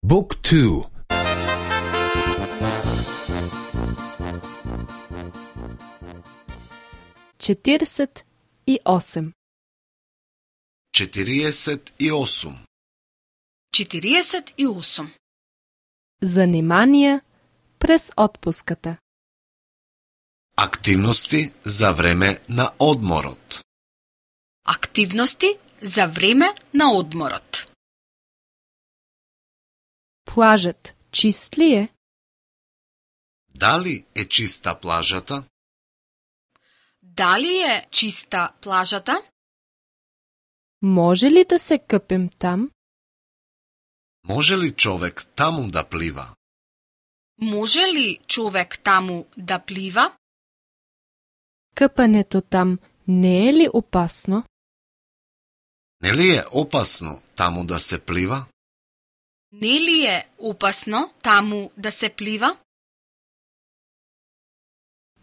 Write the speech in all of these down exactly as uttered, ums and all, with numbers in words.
Book two. четиридесет и осем. четириесет и осум. четириесет и осум. Заниманија през отпуската. Активности за време на одморот. Активности за време на одморот. Плажът чист ли е? Дали е чиста плажата? Дали е чиста плажата? Може ли да се къпем там? Може ли човек таму да плива? Може ли човек таму да плива? Къпането там не е ли опасно? Нели е опасно таму да се плива? Не ли е опасно таму да се плива?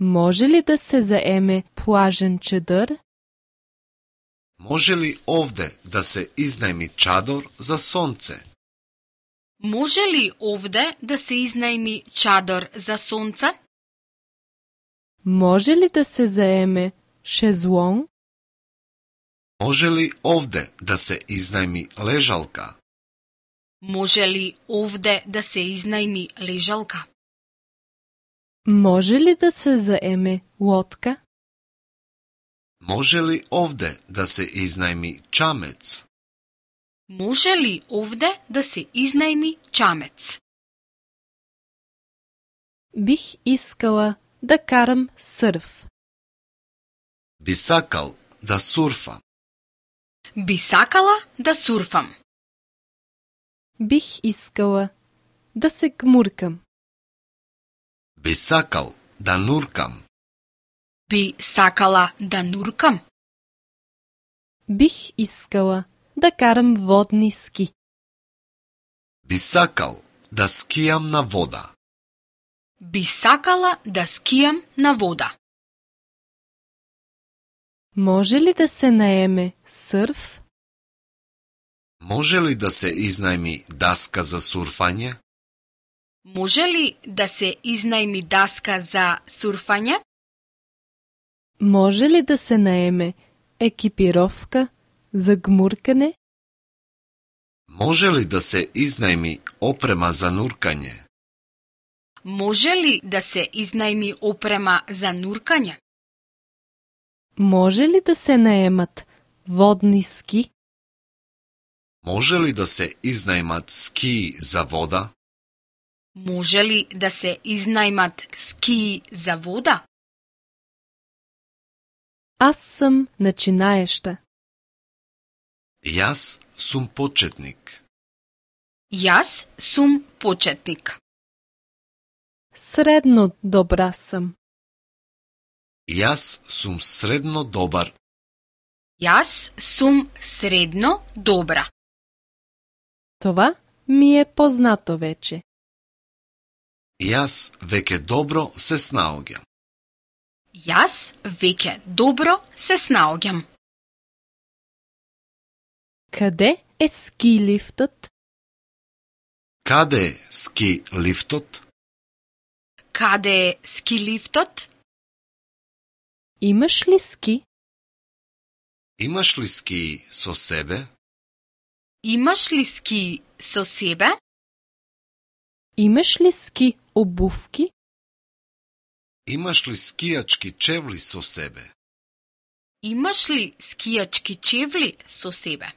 Може ли да се заеме плажен чедър? Може ли овде да се изнајми чадор за сонце? Може ли овде да се изнајми чадор за сонце? Може ли да се заеме шезлонг? Може ли овде да се изнајми лежалка? Може ли овде да се изнајми лежалка? Може ли да се заеме лодка? Може ли овде да се изнајми чамец? Може ли овде да се изнајми чамец? Бих искала да карам сърф. Би сакал да сурфа. Би сакала да сурфам. Бих искала да се гмуркам. Би сакал да нуркам. Би сакала да нуркам. Бих искала да карам водни ски. Би сакал да скијам на вода. Би сакала да скијам на вода. Може ли да се наеме сърф? Може ли да се изнајми даска за сурфање? Може ли да се изнајми даска за сурфање? Може ли да се наеме екипировка за гмуркане? Може ли да се изнајми опрема за нуркање? Може ли да се изнајми опрема за нуркање? Може ли да се наемат водни ски? Може ли да се изнајмат скии за вода? Може ли да се изнајмат скии за вода? Аз съм начинаеща. Јас сум почетник. Јас сум почетник. Средно добра съм. Јас сум средно добар. Јас сум средно добра. Това ми е познато вече. Јас веќе добро се снаоѓам. Јас веќе добро се снаоѓам. Къде е ски лифтът? Каде е ски лифтот? Каде е ски лифтот? Имаш ли ски? Имаш ли ски со себе? Имаш ли ски со себе? Имаш ли ски обувки? Имаш ли скијачки чевли со себе? Имаш ли скијачки чевли со себе?